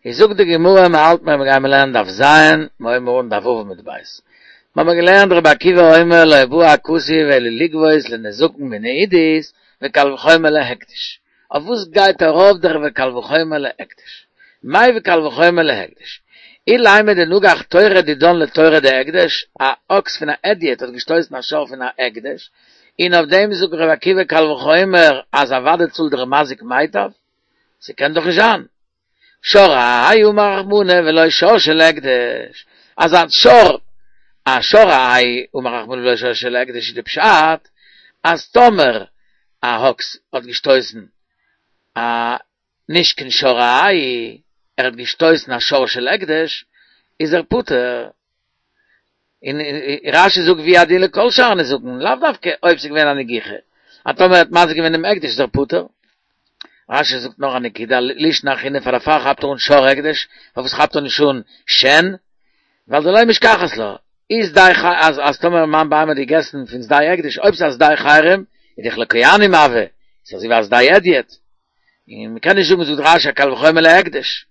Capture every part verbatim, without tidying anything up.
איז זאגט די גמרא, מען האלט מיר גיימיר לערנען דף ז', מיר הייבן אן דף ו' עמוד ב'. מיר האבן געלערנט רבי עקיבא אומר לא בא הכתוב אלא לגבות לנזקין מן העידית וקל וחומר להקדש. אויף וואס גייט ארויף דער וקל וחומר להקדש? מאי וקל וחומר להקדש? אילימא דנגח תורא דידן לתורא דהקדש, א אקס פון א הדיוט האט געשטויסן א שור פון א הקדש, און אויף דעם זאגט רבי עקיבא קל וחומר אז אוודאי צאלט דער מזיק מיטב? ס'קען דאך נישט זיין. שור אהאי אמר רחמנא ולא שור של הקדש, אז א שור א שור אהאי אמר רחמנא ולא שור של הקדש איז די פשט אז טאמער א אקס האט געשטויסן א נישט קיין שור אהאי ער האט געשטויסן א שור של הקדש איז ער פטור. און רשי זאגט והוא הדין לכל שאר נזקין, לאו דווקא אויב ס'איז געווען א נגיחה, אז טאמער ער האט מזיק געווען דעם הקדש איז ער פטור. רשי זאגט נאך א נקודה, לישנא אחרינא פאר דערפאר כאפט ער אן שור הקדש, פארוואס כאפט ער נישט אן שן? ווייל דלא משכחת לה, איז די ח אז אז טאמער מיין בהמה האט געגעסן פון שדה הקדש, אויב ס'איז א שדה חרם, איז דאך לכהנים הוי, ס'איז אזוי ווי א שדה הדיוט. און מ'קען נישט זאגן זאגט רשי קל וחומר להקדש.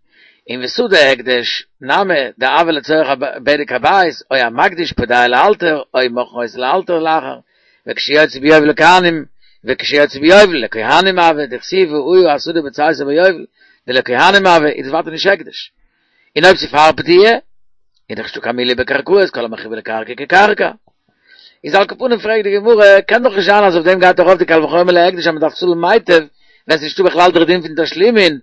און ושדה הקדש נמי דהוה לצורך בדק הבית, או המקדיש פודע לאלתר, או מוכרין אותו לאלתר לאחר, וכשיוצא ביובל לכהנים, וכשיוצא ביובל לכהנים הוי, דכתיב והיה השדה בצאתו ביובל, דלכהנים הוי, איז דאס ווייטער נישט הקדש. און אויב ס'איז פאר פדיה, איז דאך נישטא קיין מעילה בקרקעות, כל המחובר לקרקע כקרקע. איז על כל פנים פרעגט די גמרא, קען דאך נישט זיין אז אויף דעם גייט ארויף די קל וחומר להקדש אז מ'דארף צאלן מיטב, ווען ס'איז נישטא בכלל דער דין פון תשלומין,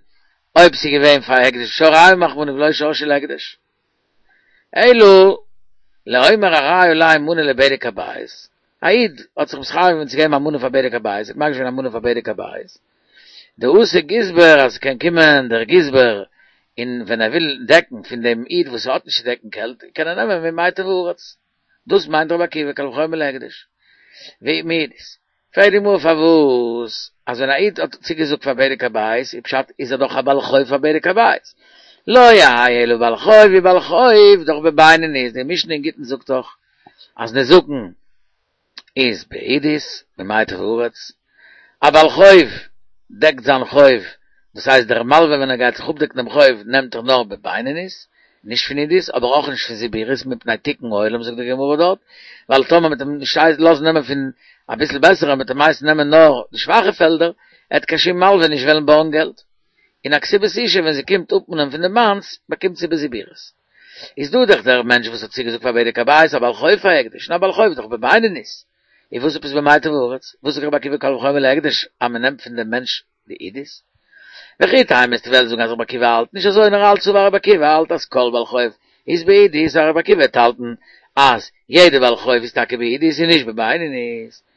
אויב ס'איז געווען פאר הקדש שור אהאי אמר רחמנא ולא שור של הקדש. אלא לאומר הרי עלי מנה לבדק הבית, א איד האט זיך מתחייב געווען צו געבן א מנה פאר בדק הבית, האט מקדיש געווען א מנה פאר בדק הבית, דאתי גזבר אז ס'קען קומען דער גזבר און ווען ער וויל דעקן פון דעם איד וואס האט נישט צו דעקן געלט קען ער נעמען ממיטב הארץ, דאס מיינט רבי עקיבא קל וחומר להקדש. ומעידית. פרעגט די גמרא פארוואס אז ווען א איד האט צוגעזאגט פאר בדק הבית איז פשט איז ער דאך א בעל חוב פאר בדק הבית, לא יהא אלא בעל חוב אי בעל חוב דאך בבינונית, די משנה אין גיטין זאגט דאך אז נזקין איז בעידית ממיטב הארץ, א בעל חוב דעקט זיין חוב, דאס הייסט דער מלווה ווען ער גייט זיך אפדעקן דעם חוב נעמט ער נאר בבינונית, נישט פון עידית, אבער אויך נישט פון זיבורית מפני תיקון עולם זאגט די גמרא דארט, ווייל טאמער מ'וועט אים נישט לאזן נעמען פון אביסל בעסערע מ'וועט אים הייסן נעמען נאר די שוואכע פעלדער, עט קיין שום מלווה נישט וועלן בארגן געלט. און א כתובת אשה ווען זי קומט אפמאנען פון די מאנס באקומט זי בזיבורית. איז דא דאך דער מענטש וואס האט צוגעזאגט פאר בדק הבית א בעל חוב פאר הקדש, און א בעל חוב איז דאך בבינונית. איז וואס עפעס במיטב הארץ? וואס זאגט רבי עקיבא קל וחומר להקדש אז מען נעמט פון דעם מענטש די עידית? וכי תימא וועסטו וועלן זאגן אז רבי עקיבא האלט נישט אזוי נאר האלט סבר רבי עקיבא האלט אז כל בעל חוב איז בעידית אז רבי עקיבא וועט האלטן אז יעדער בעל חוב איז טאקע בעידית און נישט בבינונית.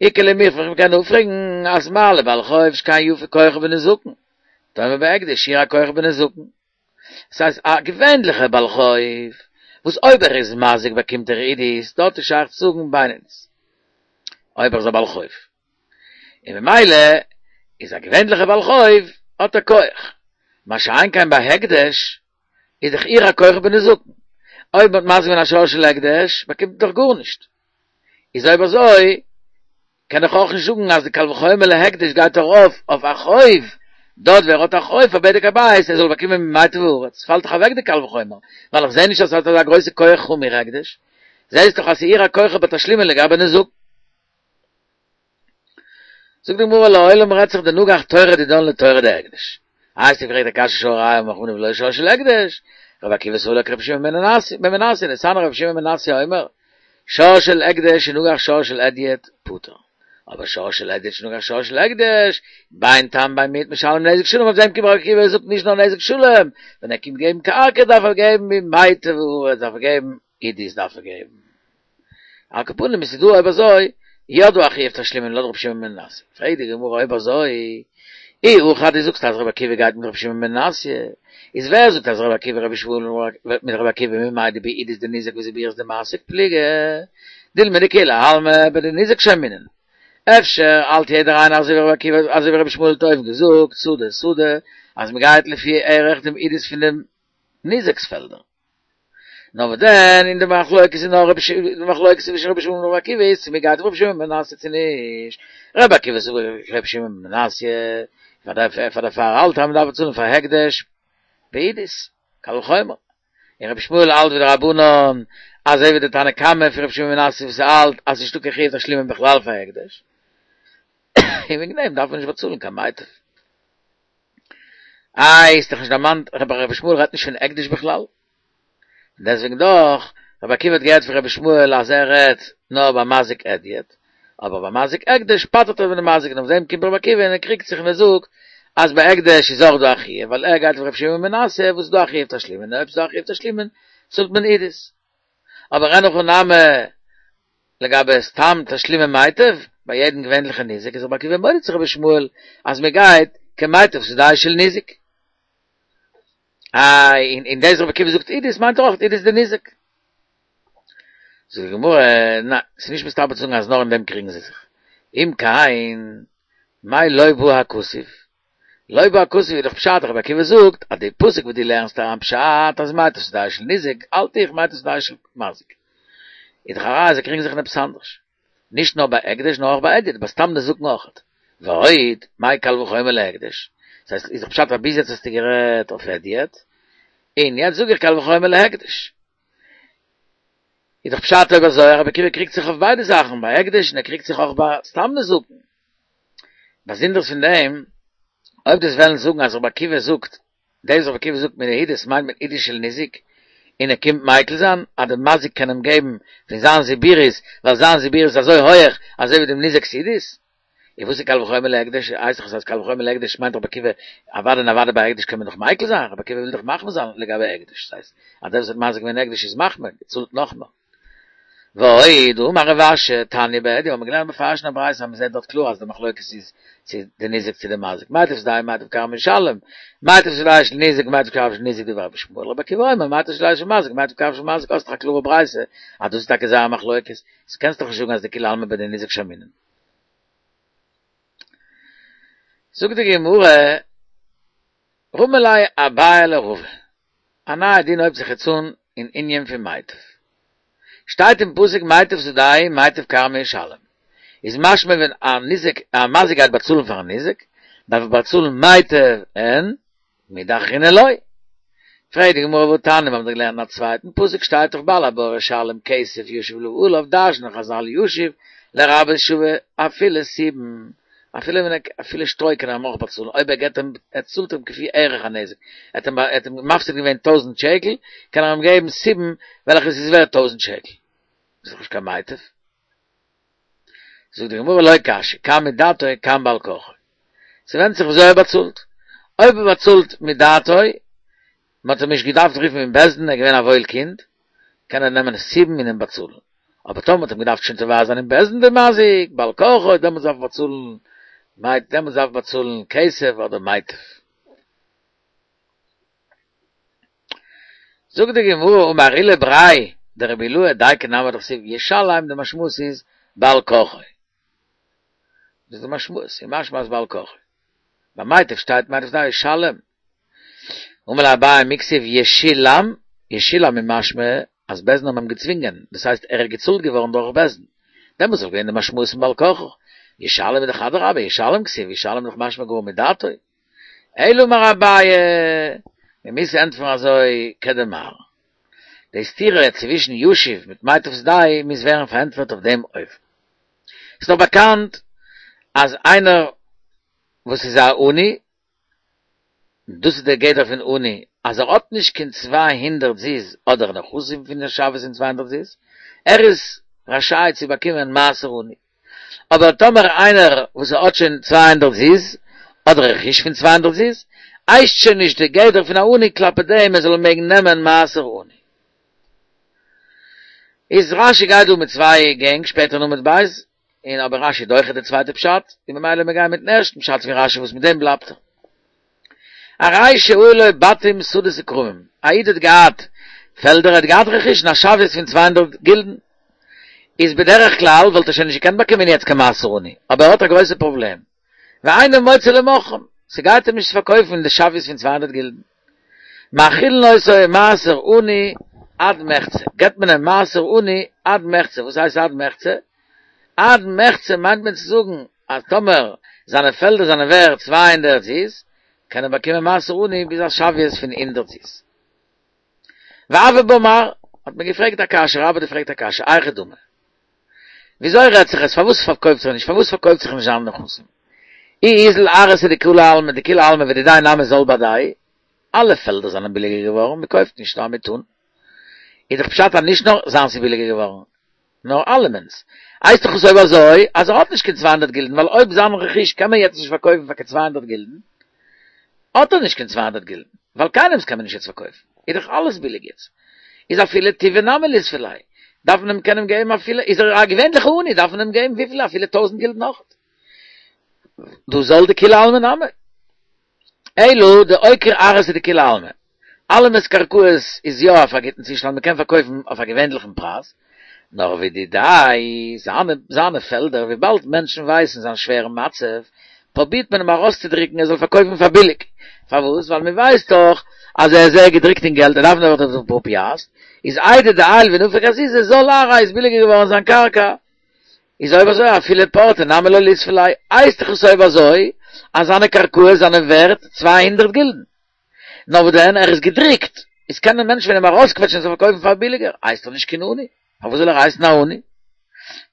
איכא למיפרך מ'קען אפפרעגן אז מה לבעל חוב שכן יפה כוחו בנזקין תאמר בהקדש ירע כוחו בנזקין. דאס הייסט א געווענליכער בעל חוב וואס אויב ער איז מזיק באקומט ער עידית, דארט איז שייך צו זאגן בינונית אויב ער איז א בעל חוב, און ממילא איז א געווענליכער בעל חוב האט ער כח, מה שאין כן ביי הקדש איז דאך אירע כוחו בנזקין, אויב מ'האט מזיק געווען א שור של הקדש באקומט מען דאך גארנישט, איז אויב אזוי קען איך אויך נישט זאגן אז די קל וחומר להקדש גייט ארויף אויף א חוב, דארט ווער האט א חוב פאר בדק הבית ער זאל באקומען ממיטב הארץ, פאלט דאך אוועק די קל וחומר, ווייל איך זעה נישט אז ס'האט אזא גרויסע כח חמור הקדש, זעהסט דאך אז ס'אירע כוחו בתשלומין לגבי נזקין. זאגט די גמרא לעולם רעדט זיך דנגח תורא דידן לתורא דהקדש. איי האסטו געפרעגט א קשיא שור אהאי אמר רחמנא ולא שור של הקדש, רבי עקיבא סבר לה כרבי שמעון בן מנסיא, דתניא רבי שמעון בן מנסיא אומר, שור של הקדש שנגח שור של הדיוט פטור, אבער שור של הדיוט שנגח שור של הקדש, בין תם בין מועד משלם נזק שלם, אויף דעם קומט רבי עקיבא זאגט נישט נאר נזק שלם, ווען ער קומט געבן קרקע דארף ער געבן ממיטב הארץ דארף ער געבן עידית דארף ער געבן. על כל פנים עס איז דא אויב אזוי יא דא א חיוב תשלומין לויט רבי שמעון בן מנסיא, פרעגט די גמרא אויב אזוי אי הכי אז דו זאגסט אז רבי עקיבא גייט מיט רבי שמעון בן מנסיא, איז ווער זאגט אז רבי עקיבא רבי ישמעאל מיט רבי עקיבא ממאי דבעידית דניזק וזיבורית דמסיק פליגי, דילמא דכולי עלמא בדניזק שיימינן, אפשר האלט יעדער איינער אזוי ווי רבי עקיבא אזוי ווי רבי ישמעאל האט אויבן געזאגט שדה שדה אז מען גייט לפי ערך דעם עידית פון דעם ניזק'ס פעלדער. נאר וואס דען, אין די מחלוקת איז נאר רבי שמעון, די מחלוקת צווישן רבי ישמעאל און רבי עקיבא איז צו מען גייט רבי שמעון בן מנסיא צו נישט, רבי עקיבא סבר כרבי שמעון בן מנסיא, פאר דערפאר האלט ער אז מען דארף באצאלן פאר הקדש בעידית, קל וחומר. און רבי ישמעאל האלט ווי די רבנן, אזוי ווי די תנא קמא פון רבי שמעון בן מנסיא וואס האלט אז ס'נישטא קיין חיוב תשלומין בכלל פאר הקדש, און וועגן דעם דארף מען נישט באצאלן קיין מיטב. איי, איז דאך נישט דערמאנט, רבי ישמעאל רעדט נישט פון הקדש בכלל. און דעסוועגן דאך, רבי עקיבא האט געהערט פון רבי ישמעאל אז ער רעדט נאר ביי מזיק הדיוט, אבער ביי מזיק הקדש פטר'ט ער פון די מזיק, און אויף דעם קומט רבי עקיבא און ער קריגט זיך און ער זאגט אז ביי הקדש איז אויך דא א חיוב, ווייל ער גייט ווי רבי שמעון בן מנסיא וואס איז דא א חיוב תשלומין, און אויב ס'איז דא א חיוב תשלומין צאלט מען עידית. אבער אין הכי נמי לגבי סתם תשלומי מיטב, ביי יעדן געווענליכע ניזק איז רבי עקיבא מודה צו רבי ישמעאל אז מען גייט כמיטב שדהו של ניזק. איי, און און דאס רבי עקיבא זאגט עידית מיינט ער אויך עידית דניזק. זאגט די גמרא, ניין, ס'איז נישט מסתבר צו זאגן אז נאר אין דעם קריגן זיי זיך. אם כן, מאי לא בא הכתוב? לא בא הכתוב איז דאך פשט, רבי עקיבא זאגט אז די פסוק וואס דו לערנסט אריין פשט אז מיטב שדהו של ניזק, האלט איך מיטב שדהו של מזיק. איז דאך א ראיה זיי קריגן זיך אין עפעס אנדערש. נישט נאר ביי הקדש נאר אויך ביי הדיוט, ביי סתם נזקין אויכעט. ועוד, מאי קל וחומר להקדש? דאס הייסט, איז דאך פשט אז ביז יעצט האסטו גערעדט אויף הדיוט, און יעצט זאג איך קל וחומר להקדש. איז דאך פשט אויב אזוי אז רבי עקיבא קריגט זיך אויף ביידע זאכן, ביי הקדש און ער קריגט זיך אויך ביי סתם נזקין. באזונדערס פון דעם, אויב דו'סט וועלן זאגן אז רבי עקיבא זאגט, דאס וואס רבי עקיבא זאגט מן העידית מיינט מען עידית של ניזק, און ער קומט מיקל זיין אז דער מזיק קען אים געבן פון זיין זיבורית, ווייל זיין זיבורית איז אזוי הויעך אזוי ווי דעם ניזק'ס עידית. און וואס איז קל וחומר להקדש? הייסט דאך אז קל וחומר להקדש מיינט רבי עקיבא, אוודאי און אוודאי ביי הקדש קען מען דאך מיקל זיין, רבי עקיבא וויל דאך מחמיר זיין לגבי הקדש, דאס הייסט אז דער וואס האט מזיק געווען הקדש איז מחמיר, צאלט נאכמער. ועוד, אמר רב אשי, תניא בהדיא, האבן מיר געלערנט מפרש אין א ברייתא אז מען זעט דארט קלאר אז די מחלוקת איז צו די ניזק צו די מזיק, מיטב שדהו מיטב כרמו ישלם, מיטב שדהו של ניזק מיטב כרמו של ניזק דברי רבי ישמעאל, רבי עקיבא אומר מיטב שדהו של מזיק מיטב כרמו של מזיק, האסט דאך א קלארע ברייתא אז דאס איז טאקע זייער מחלוקת, איז קענסט דאך נישט זאגן אז דכולי עלמא בדניזק שמעינן. זאגט די גמרא, רמי ליה אביי לרבא, א נייע דין הויבט זיך יעצט אן אין ענין פון מיטב. שטייט אין פסוק מיטב שדהו מיטב כרמו ישלם, איז משמע ווען א ניזק א מזיק גייט באצאלן פארן ניזק, דארף ער באצאלן מיטב אין מידי אחרינא לא. פרעגט די גמרא והתניא, מיר האבן דאך געלערנט אין א צווייטן פסוק שטייט דאך בעל הבור ישלם כסף ישיב לבעליו דרש'נען חזל ישיב לרבות שווה אפילו סובין אפילו ווען ער אפילו שטרוי קען ער אים אויך באצאלן אויב ער געבט אים ער צאלט אים כפי ערך הנזק ער האט אים ער האט אים מפסיד געווען טויזנט שקל קען ער אים געבן סובין וועלכעס איז ווערט טויזנט שקל איז דאך נישט קיין מיטב. זאגט די גמרא לא קשיא, כאן מדעתו כאן בעל כרחו. ס'ווענדט זיך וויאזוי ער באצאלט. אויב ער באצאלט מדעתו, מ'האט אים נישט געדארפט רופן אין בית דין, ער איז געווען א וואויל קינד, קען ער נעמען סובין און אים באצאלן. אבער טאמער מ'האט אים געדארפט שוין תובע זיין אין בית דין די מזיק, בעל כרחו, דעמאלטס דארף ער באצאלן, דעמאלטס דארף ער באצאלן כסף אדער מיטב. זאגט די גמרא אמר עולא בריה דרבי אילעא דייקא נמי דכתיב ישלם די משמעות איז בעל כרחו דאס איז די משמעות איז משמע אז בעל כרחו ביי מיטב שטייט מיטב שדהו ישלם אמר ליה אביי מי כתיב ישולם ישולם איז משמע אז בית דין האבן אים געצווינגען דאס הייסט ער איז געצאלט געווארן דורך בית דין דעמאלטס וואלט געווען די משמעות פון בעל כרחו ישלם איז דאך אדרבה ישלם כתיב ישלם איז דאך משמע גאר מדעתו אלא אמר אביי, מען מוז ענטפערן אזוי כדמר. די סתירה צווישן ישיב מיט מיטב שדהו מוז ווערן פארענטפערט אויף דעם אופן. ס'איז דאך באקאנט אז איינער וואס איז א עני, דאס איז דער גדר פון עני, אז ער האט נישט קיין צוויי הונדערט זוז אדער נכסים פון שוויות פון צוויי הונדערט זוז, ער איז רשאי צו באקומען מעשר עני. אבער טאמער איינער וואס האט שוין צוויי הונדערט זוז, אדער רכוש פון צוויי הונדערט זוז, הייסט שוין נישט די גדר פון א עני כלפי דעם ער זאל מעגן נעמען מעשר עני. איז רשי גייט דא מיט צוויי גענג שפעטער אין עמוד ב', און אבער רשי דוחה די צווייטע פשט, און ממילא מיר גייען מיטן ערשטן פשט פון רשי וואס מיט דעם בלייבט ער. הרי שהיו לו בתים שדות וכרמים, א איד האט געהאט פעלדער ער האט געהאט רכוש אין א שוויות פון צוויי הונדערט גילדן, איז בדרך כלל וואלט ער שוין נישט געקענט באקומען יעצט קיין מעשר עני, אבער ער האט א גרויסע פראבלעם, ואינו מוצא למוכרם, ס'גייט אים נישט צו פארקויפן די שוויות פון צוויי הונדערט גילדן. מאכילין אותו מעשר עני עד מחצה, געבט מען אים מעשר עני עד מחצה, וואס הייסט עד מחצה? עד מחצה מיינט מען צו זאגן אז טאמער זיינע פעלדער זענען ווערט צוויי הונדערט זוז, קען ער באקומען מעשר עני ביז א שוויות פון הונדערט זוז. והוה בה מר, האט מען געפרעגט א קשיא, רבה האט געפרעגט א קשיא, היכי דמי. וויאזוי רעדט זיך עס, פארוואס פארקויפט זיך נישט, פארוואס פארקויפט זיך נישט זיינע נכסים? אי אזיל ארעתא דכולי עלמא, דכולי עלמא ודידיה נמי זל בהדייהו, אלע פעלדער זענען ביליגער געווארן, מען קויפט נישט נאר מיט אן. איז דאך פשט אז נישט נאר זיינס איז ביליגער געווארן, נאר אלעמענס. הייסט דאך עס אויב אזוי אז ער האט נישט קיין צוויי הונדערט גילדן, ווייל אויב זיין רכוש קען מען יעצט נישט פארקויפן פאר קיין צוויי הונדערט גילדן, האט ער נישט קיין צוויי הונדערט גילדן, ווייל קיינעמס קען מען נישט יעצט פארקויפן, איז דאך אלעס ביליג יעצט. איז אפילו טובא נמי ליספי ליה, דארף מען אים קענען געבן אפילו, איז ער א געווענליכע עני, דארף מען אים געבן וויפיל אפילו טויזנט גילדן אויך. דהא זל דכולי עלמא נמי. אלא דאוקיר ארעתא דכולי עלמא. אלעמענס קרקעות איז יא אויף א גוטן צושטאנד מען קען פארקויפן אויף א געווענליכן פרייז, נאר ודידיה זיינע זיינע פעלדער וויבאלד מענטשן ווייסן זיין שווערן מצב פרובירט מען אים ארויסצודריקן ער זאל פארקויפן פאר ביליג, פארוואס? ווייל מען ווייסט דאך אז ער איז זייער געדריקט אין געלט ער דארף נאך די פאר פיאסט, איז איידי דעייל ונפיק אזוזי זל ארעיה איז ביליגער געווארן זיין קרקע. איז אויב אזוי אפילו פורתא נמי לא ליספי ליה, הייסט דאך עס אויב אזוי אז זיינע קרקעות זענען ווערט צוויי הונדערט גילדן. נאר וואס דען ער איז געדריקט, איז קענען מענטשן פון אים ארויסקוועטשן ער זאל פארקויפן פאר ביליגער, הייסט ער נישט קיין עני, פארוואס זאל ער הייסן א עני?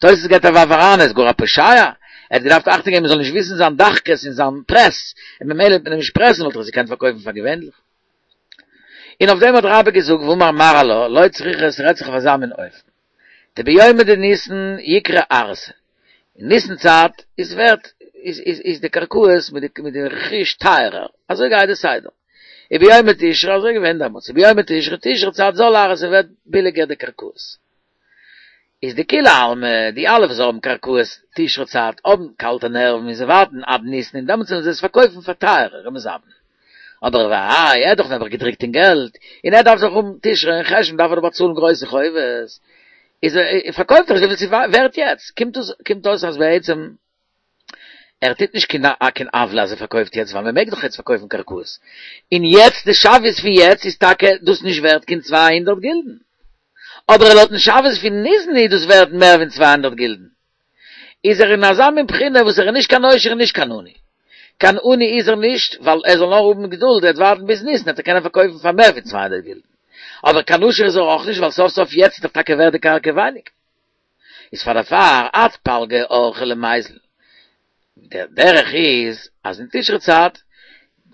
תוס' געבט א ווארף אריין, ער איז גאר א פושע, ער האט געדארפט אכטונג געבן מען זאל נישט וויסן זיין דחקות און זיין פרעס, און ממילא וועט מען אים נישט פרעסן וואלט ער עס געקענט פארקויפן פאר געווענליך. און אויף דעם האט רבה געזאגט ואמר מר עלה, לא צריכא ס'רעדט זיך אויף אזא מין אופן. דביומי דניסן יקרי ארעתא, אין ניסן צייט איז ווערט איז איז איז די קרקעות מיט די מיט די רכוש טייערער, אזוי גייט די סדר, וביומי תשרי אזוי געווען דעמאלטס, וביומי תשרי תשרי צייט זל ארעתא ווערט ביליגער די קרקעות, איז דכולי עלמא די אלע וואס האבן קרקעות תשרי צייט האבן קאלטע נערוון און זיי ווארטן עד ניסן און דעמאלטס וועלן זיי עס פארקויפן פאר טייערער ומזבני. אבער והאי, ער איז דאך נעבעך געדריקט אין געלט, און ער דארף דאך האבן תשרי און חשון דארף ער דאך באצאלן גרויסע חובות, איז ער פארקויפט ער עס וויפיל ס'איז ווערט יעצט, קומט אויס קומט אויס אז בעצם ער טוט נישט קיין קיין עוולה אז ער פארקויפט יעצט, ווייל מ'מעג דאך יעצט פארקויפן קרקעות, און יעצט די שוויות פון יעצט איז טאקע דאס נישט ווערט קיין צוויי הונדערט גילדן, אבער לויטן שוויות פון ניסן איז דאס ווערט מער ווי צוויי הונדערט גילדן. איז ער אין אזא מין בחינה וואס ער איז נישט קיין עושר און נישט קיין עני. קיין עני איז ער נישט, ווייל ער זאל נאר האבן געדולד, ער וועט ווארטן ביז ניסן וועט ער קענען פארקויפן פאר מער ווי צוויי הונדערט גילדן. אבער קיין עושר איז ער אויך נישט, ווייל סוף סוף יעצט איז דאך טאקע ווערט די קרקע ווייניג. איז פאר דערפאר עד פלגא אורחיה למיזל. דער דרך איז אז אין תשרי צייט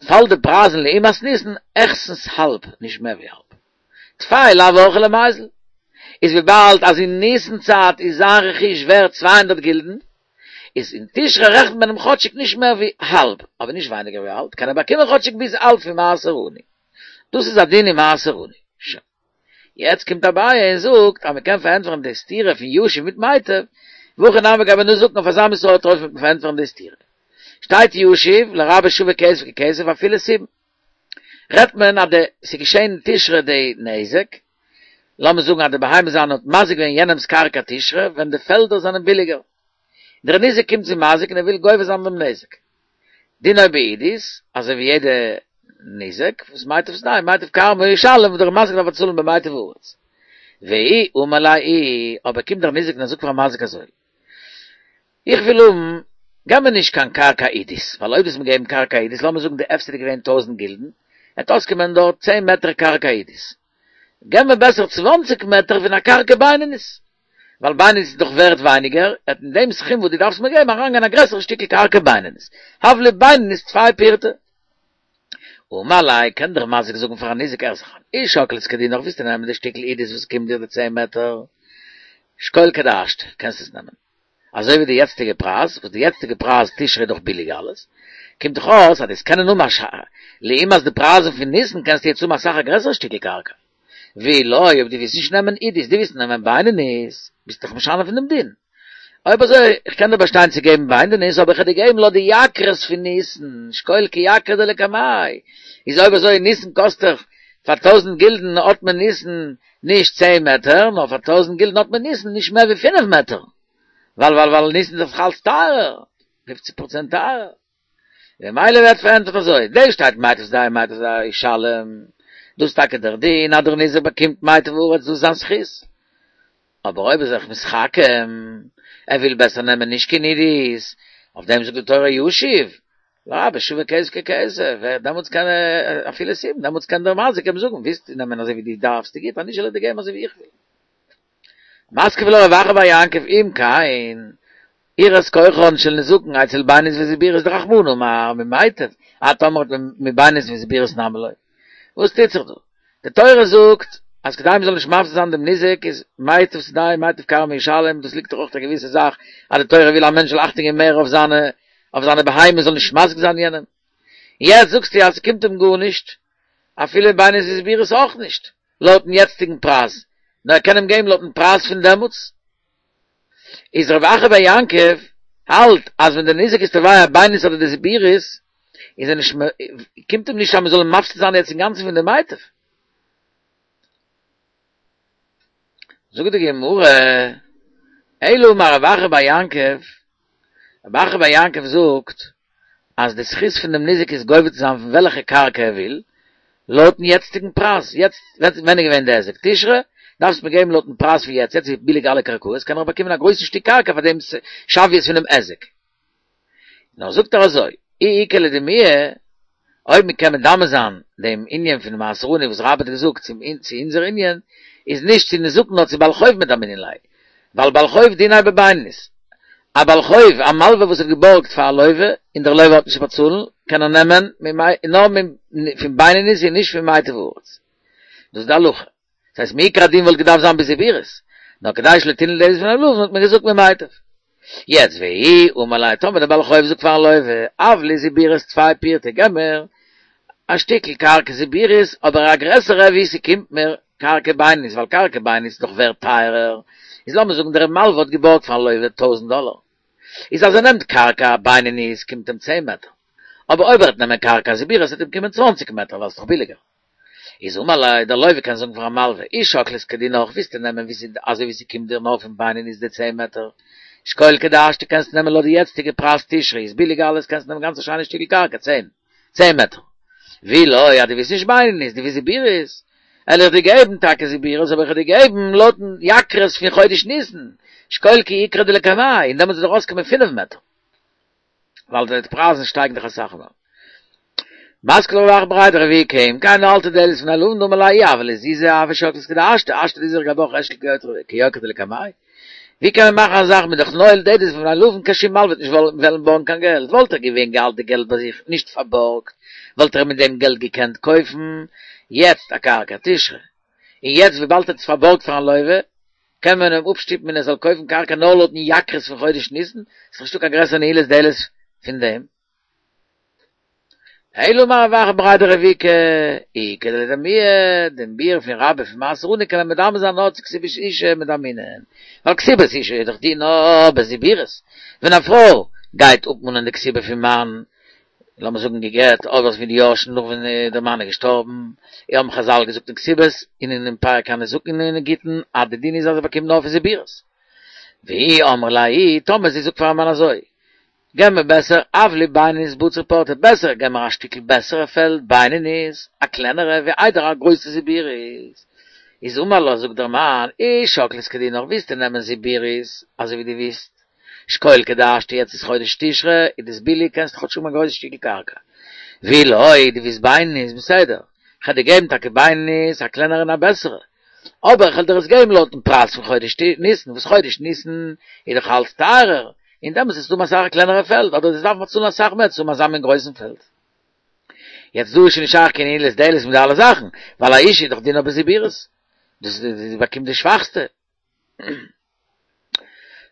פאלט די פרייזן לעומת ניסן העכסטנס האלב, נישט מער ווי האלב. טפי לאו אורחיה למיזל. איז וויבאלד אז אין ניסן צייט איז זיין רכוש ווערט צוויי הונדערט גילדן, איז אין תשרי רעכנט מען אים כאטשיג נישט מער ווי האלב, אבער נישט ווייניגער ווי האלב, קען ער באקומען כאטשיג ביז האלב פון מעשר עני. דאס איז א דין אין מעשר עני. שוין. יעצט קומט אביי און זאגט אז מען קען פארענטפערן די סתירה פון ישיב מיט מיטב, והכי נמי גבי נזקין אויף אזא מין סארט אופן וועט מען פארענטפערן די סתירה. שטייט ישיב לרבות שווה כסף ככסף אפילו סובין. רעדט מען אז די ס'איז געשען אין תשרי די נזק, לאמיר זאגן אז די בהמה זיינע האט מזיק געווען יענעמ'ס קרקע תשרי ווען די פעלדער זענען ביליגער, דער ניזק קומט צום מזיק און ער וויל גובה זיין דעם נזק. דינו בעידית, אזוי ווי יעדע ניזק, וואס מיטב שדהו מיטב כרמו ישלם וואס דער מזיק דארף באצאלן במיטב הארץ. ואי אמר ליה אבער קומט דער ניזק און ער זאגט פארן מזיק אזוי, איך וויל האבן, געב מיר נישט קיין קרקע עידית, ווייל אויב וועסט מיר געבן קרקע עידית, לאמיר זאגן די הפסד איז געווען טויזנט גילדן, וועט אויסקומען דארט צען מעטער קרקע עידית. געב מיר בעסער צוואנציג מעטער פון א קרקע בינונית, ווייל בינונית איז דאך ווערט ווייניגער, וועט אין דעם סכום וואס דו דארפסט מיר געבן אריינגיין א גרעסערע שטיקל קרקע בינונית, הב לי בינונית טפי פורתא. אמר ליה, קען דער מזיק זאגן פארן ניזק הער זיך איין, אי שקלת כדינך ווילסטו נעמען די שטיקל עידית וואס קומט דיר די צען מעטער, שקול כדהשתא, קענסט עס נעמען. אזוי ווי די יעצטיגע פרייז, וואס די יעצטיגע פרייז תשרי איז דאך ביליג אלעס, קומט דאך אויס אז דו'סט קענען האבן א ש לעומת די פרייזן פון ניסן קענסטו יעצט האבן אסאך א גרעסערע שטיקל קרקע. ואי לא, אויב דו ווילסט נישט נעמען עידית, דו ווילסט נעמען בינונית, ביסטו דאך משנה פון דעם דין. אויב אזוי, איך קען דיר באשטיין צו געבן בינונית, אבער איך וועל דיר געבן לויט די יקרות פון ניסן, שקול כיקרא דלקמיה. איז אויב אזוי, ניסן קאסט דאך פאר טויזנט גילדן האט מען ניסן נישט צען מעטער, נאר פאר טויזנט גילדן האט מען ניסן נישט מער ווי פינף מעטער. ווייל ווייל ווייל ניסן איז דאך אלץ טייערער, פופציג פראצענט טייערער. ממילא ווערט פארענטפערט אזוי, דא שטייט מיטב שדהו מיטב ישלם, דאס איז טאקע דער דין אז דער ניזק באקומט מיטב הארץ דאס איז זיין זכות. אבער אויב איז ער זיך מתחכם, ער וויל בעסער נעמען נישט קיין עידית, אויף דעם זאגט די תורה ישיב, לרבה שווה כסף ככסף, דעמאלטס קען ער אפילו סובין, דעמאלטס קען דער מזיק אים זאגן, ווילסט נעמען אזוי ווי דו דארפסט, גוט, אז נישט זאל איך דיר געבן אזוי ווי איך וויל. מתקיף לה רב אחא בר יעקב אם כן, יראת כוחן של נזקין אצל בינונית וזיבורית דרחמנא אמר ממיטב, את אמרת מבינונית וזיבורית נמי לא. וואס טוט זיך דא? די תורה זאגט אז כדי מ'זאל נישט מפסיד זיין דעם ניזק איז מיטב שדהו מיטב כרמו ישלם, דאס ליגט דאך אויך א געוויסע זאך אז די תורה וויל א מענטש זאל אכטונג געבן מער אויף זיינע אויף זיינע בהמות זאל נישט מזיק זיין יענעם. יעצט זאגסטו אז ס'קומט אים גארנישט, אפילו בינונית וזיבורית אויך נישט, לויטן יעצטיגן פרייז, נאר ער קען אים געבן לויטן פרייז פון דעמאלטס. איז רב אחא בר יעקב האלט אז ווען דער ניזק איז תובע בינונית אדער די זיבורית, איז ער נישט קומט אים נישט אז מ'זאל אים מפסיד זיין יעצט אינגאנצן פון די מיטב. זאגט די גמרא, אלא אמר רב אחא בר יעקב, רב אחא בר יעקב זאגט אז די זכות פון דעם ניזק איז גובה צו זיין פון וועלכע קרקע ער וויל, לויטן יעצטיגן פרייז, יעצט ווען איז געווען די היזק? תשרי? דארפסט מיר געבן לויטן פרייז פון יעצט, יעצט איז ביליג אלע קרקעות, קען איך באקומען א גרויסן שטיק קרקע פאר דעם שוויות פונעם היזק. נאר זאגט ער אזוי, אי איכא לדמויי, אויב מען קען מדמה זיין דעם ענין פון מעשר עני וואס רבה האט געזאגט צום צו אונזער ענין, איז נישט צו נזקין נאר צו בעל חוב מדמינן ליה, ווייל בעל חוב דיניה בבינונית. א בעל חוב, א מלווה וואס האט געבארגט פאר א לווה, און דער לווה האט נישט צו באצאלן, קען ער נעמען נאר פון בינונית און נישט פון מיטב הארץ. דאס איז די הלכה. דאס הייסט מעיקר הדין וואלט געדארפט זיין בזיבורית, נאר כדי שלא תנעול דלת בפני הלווין האט מען געזאגט ממיטב. יעצט ואי אמר ליה טאמער דער בעל חוב זאגט פארן לווה הב לי זיבורית טפי פורתא געב מיר א שטיקל קרקע זיבורית אבער א גרעסערע ווי ס'קומט מיר קרקע בינונית ווייל קרקע בינונית איז דאך ווערט טייערער איז לאמיר זאגן דער מלווה האט געבארגט פארן לווה טויזנט דאלער איז אז ער נעמט קרקע בינונית קומט אים צען מעטער אבער אויב ער וועט נעמען קרקע זיבורית וועט אים קומען צוואנציג מעטער ווייל ס'איז דאך ביליגער. איז אמר ליה, דער לווה קען זאגן פארן מלווה, אי שקלת כדינך, ווילסטו נעמען ווי ס'איז אזוי ווי ס'קומט דיר נאר פון בינונית די צען מעטער, שקול כדהשתא קענסט נעמען לויט די יעצטיגע פרייז תשרי איז ביליג אלעס קענסט נעמען גאנץ א שיינע שטיקל קרקע צען צען מעטער, ואי לא אז דו ווילסט נישט בינונית דו ווילסט זיבורית, וועל איך דיר געבן טאקע זיבורית אבער איך וועל דיר געבן לויטן יקרות פון חודש ניסן, שקול כי יקרא דלקמיה, און דעמאלטס וועט דיר אויסקומען פינף מעטער. ווייל די פרייזן שטייגן דאך אסאך מער. מתקיף לה רב אחא בריה דרב איקא, אם כן נועלת דלת בפני הלווין דאמר ליה אי הוה ליה זוזי הוה שקלת כדהשתא, השתא דאיזרח גבך אשקול כיוקרא דלקמיה. ווי קען מען מאכן א זאך מ'איז דאך נועל דלת בפני הלווין קיין שום מלווה וועט נישט וועלן בארגן קיין געלט, וואלט ער געווען געהאלט די געלט ביי זיך נישט פארבארגט וואלט ער מיט דעם געלט געקענט קויפן יעצט א קרקע תשרי, און יעצט וויבאלד ער האט עס פארבארגט פארן לווה קען מען אים אפשטופן און ער זאל קויפן קרקע נאר לויטן יקרות פון חודש ניסן, ס'איז נישטא קיין גרעסערע נעילת דלת פון דעם. אלא אמר רב אחא בריה דרב איקא, איכא לדמויי, דעם ביאור פון רבה פון מעשר עני קען מען מדמה זיין נאר צו כתובת אשה מדמינן, ווייל כתובת אשה איז דאך דינה בזיבורית, ווען א פרוי גייט אפמאנען די כתובה פון מאן, לאמיר זאגן גע'גט, אדער פון די יורשים נאך ווען דער מאן איז געשטארבן, האבן חזל געזאגט אין כתובות און אין פרק הניזקין אין גיטין אז די דין איז אז זי באקומט נאר פון זיבורית. ואי אמרה ליה, טאמער זי זאגט פארן מאן אזוי, געב מיר בעסער הב לי בינונית בציר פורתא, בעסער געב מיר א שטיקל בעסערע פעלד בינונית, א קלענערע, ווי איידער א גרויסע זיבורית. איז אמר לה, זאגט דער מאן, אי שקלת כדינך, ווילסטו נעמען זיבורית, אזוי ווי דו ווילסט, שקול כדהשתא יעצט איז חודש תשרי, איז דאס ביליג קענסט כאטש האבן א גרויסע שטיקל קרקע. ואי לא, דו ווילסט בינונית, בסדר, כ'על דיר געבן טאקע בינונית, א קלענערע און א בעסערע, אבער כ'על דיר עס געבן לויטן פרייז פון חודש ניסן, וואס חודש ניסן איז דאך אלץ טייערער, און דעמאלס וועסטו האבן אסאך א קלענערע פעלד, אדער דו'סט דארפן באצאלן אסאך מער צו האבן אזא מין גרויסן פעלד. יעצט דא איז שוין נישט שייך קיין נעילת דלת מיט די אלע זאכן, ווייל א אשה איז דאך דינה בזיבורית, דאס זי באקומט די שוואכסטע.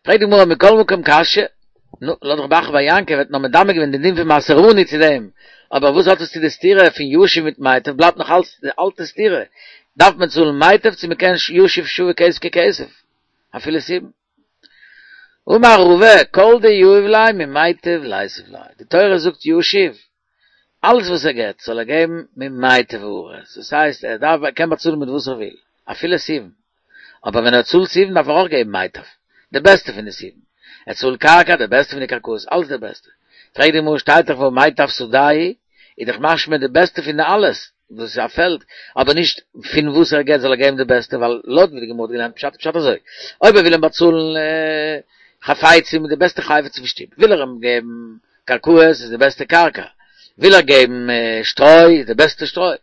פרעגט די גמרא מכל מקום קשיא, נו, לויט רב אחא בר יעקב האט נאר מדמה געווען די דין פון מעשר עני צו דעם, אבער וואס האט עס צו די סתירה פון ישיב מיט מיטב, בלייבט נאך אלץ די אלטע סתירה, דארף מען צאלן מיטב צו מען קען ישיב שווה כסף ככסף, אפילו סובין. אמר רבא, כל דיהיב ליה ממיטב ליתיב ליה, די תורה זאגט ישיב, אלעס וואס ער געבט זאל ער געבן ממיטב הארץ, דאס הייסט ער דארף ער קען באצאלן מיט וואס ער וויל, אפילו סובין, אבער ווען ער צאלט סובין דארף ער אויך געבן מיטב, די בעסטע פון די סובין, ער צאלט קרקע די בעסטע פון די קרקעות, אלעס די בעסטע, פרעגט די גמרא שטייט דאך והא מיטב שדהו, איז דאך משמע די בעסטע פון די אלעס, וואס איז א פעלד, אבער נישט פון וואס ער געבט זאל ער געבן די בעסטע, ווייל לויט ווי די גמרא האט געלערנט פשט איז פשט אזוי, אויב ער וויל אים באצאלן חפצים מיט די בעסטע חפץ פון שטוב, וויל ער אים געבן קרקעות איז די בעסטע קרקע. וויל ער געבן שטרוי, איז די בעסטע שטרוי.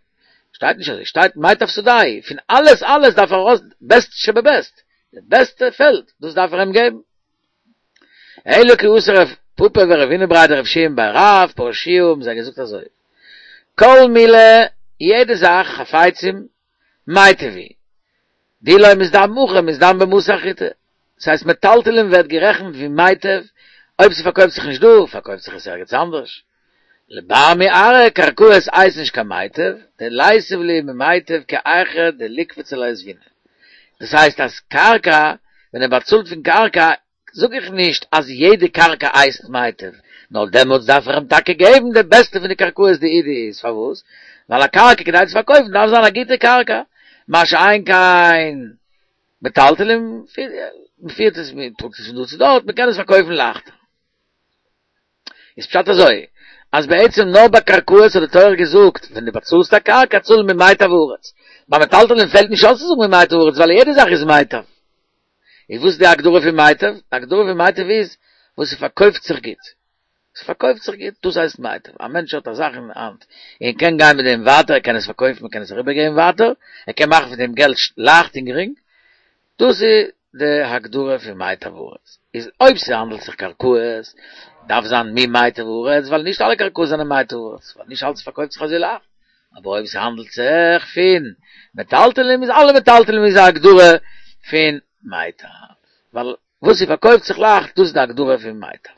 שטייט נישט אזוי, שטייט מיטב שדהו, פון אלעס אלעס דארף ער ארויס בעסט שבבעסט, די בעסטע פעלד, דאס דארף ער אים געבן. אלא כי אתא רב פפא ורבינא בריה דרב יהושע בי רב פרשוה האבן זיי געזאגט אזוי, כל מילי, יעדע זאך, חפצים, מיטב הוא, דאי לא מזדמן הכא מזדמן במתא אחריתי, דאס הייסט מטלטלין ווערט גערעכנט ווי מיטב, אויב ס'פארקויפט זיך נישט דא, פארקויפט זיך עס ערגעץ אנדערש. לבר מארעא קרקעות הייסט נישט קיין מיטב, דליתיב להו ממיטב כי היכי דליקפצו ליה זבינא. דאס הייסט אז קרקע, ווען ער באצאלט פון קרקע, זאג איך נישט אז יעדע קרקע הייסט מיטב, נאר דעמאלטס דארף איך אים טאקע געבן די בעסטע פון די קרקעות דעידית, פארוואס? ווייל א קרקע כדי צו פארקויפן דארף זיין א גוטע קרקע, מה שאין כן מטלטלין, מען פירט עס, מען טראגט עס פון דא צו דארט, מען קען עס פארקויפן לייכטער. איז פשט אזוי, אז בעצם נאר ביי קרקעות האט די תורה געזאגט, ווען דו באצאלסט א קרקע צאל ממיטב הארץ. ביי מטלטלין פעלט נישט אויס צו זאגן ממיטב הארץ, ווייל יעדע זאך איז מיטב. איז וואס איז די הגדרה פון מיטב? די הגדרה פון מיטב איז וואס ס'פארקויפט זיך גוט. ס'פארקויפט זיך גוט, דאס הייסט מיטב. א מענטש האט א זאך אין האנט, און קען גיין מיט דעם ווייטער, ער קען עס פארקויפן, ער קען עס אריבערגעבן ווייטער, ער קען מאכן פון דעם געלט לייכט און גרינג, דאס איז די הגדרה פון מיטב הארץ. איז אויב ס'האנדלט זיך קרקעות, דארף זיין ממיטב הארץ, ווייל נישט אלע קרקעות זענען מיטב הארץ, ווייל נישט אלץ פארקויפט זיך אזוי לייכט. אבער אויב ס'האנדלט זיך פון מטלטלים איז אלע מטלטלים איז א הגדרה פון מיטב, ווייל וואס ס'פארקויפט זיך לייכט דאס איז די הגדרה פון מיטב.